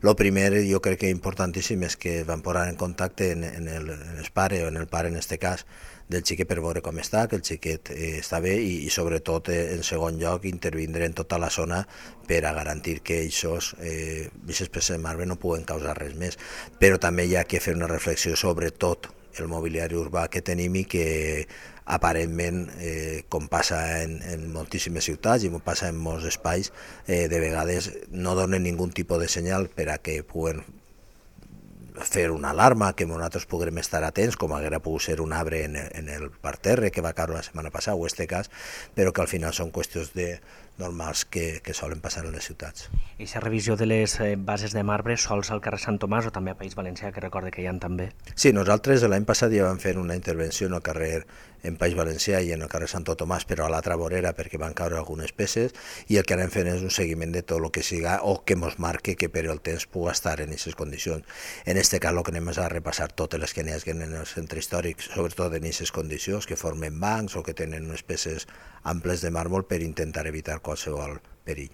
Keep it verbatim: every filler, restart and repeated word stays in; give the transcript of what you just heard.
Lo primer, jo crec que importantíssim és que van posar en contacte en, en, el, en el pare, o en el pare en este cas, del xiquet per veure com està, que el xiquet eh, està bé i, i sobretot, eh, en segon lloc, intervindre en tota la zona per a garantir que aquests eh, peces de marbre no puguen causar res més. Però també hi ha que fer una reflexió sobre tot el mobiliari urbà que tenim i que aparentment, eh, com passa en, en moltíssimes ciutats i com passa en molts espais, eh, de vegades no donen ningú tipus de senyal per a que puguen fer una alarma, que nosaltres puguem estar atents, com haguera pogut ser un arbre en, en el parterre que va caure la setmana passada, o este cas, però que al final són qüestions de normals que, que solen passar en les ciutats. I aquesta revisió de les bases de marbre sols al carrer Sant Tomàs o també a País Valencià, que recorde que hi ha també? Sí, nosaltres l'any passat ja vam fer una intervenció en el carrer en País Valencià i en el carrer Santo Tomàs, però a l'altra vorera perquè van caure algunes peces, i el que anem fent és un seguiment de tot el que siga o que mos marque que per el temps pugui estar en aquestes condicions. En este cas el que anem és a repassar totes les que n'hi hagi en el centre històric, sobretot en aquestes condicions, que formen bancs o que tenen unes peces amples de màrmol per intentar evitar qualsevol perill.